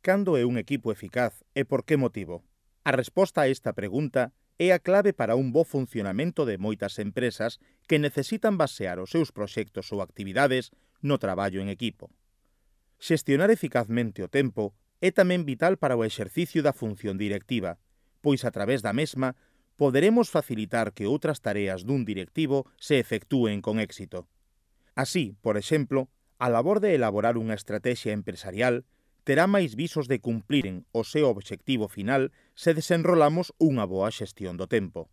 cando é un equipo eficaz e por que motivo? A resposta a esta pregunta é a clave para un bo funcionamento de moitas empresas que necesitan basear os seus proxectos ou actividades no traballo en equipo. Xestionar eficazmente o tempo é tamén vital para o exercicio da función directiva, pois a través da mesma poderemos facilitar que outras tareas dun directivo se efectúen con éxito. Así, por exemplo, a labor de elaborar unha estrategia empresarial terá máis visos de cumpriren o seu obxectivo final se desenrolamos unha boa xestión do tempo.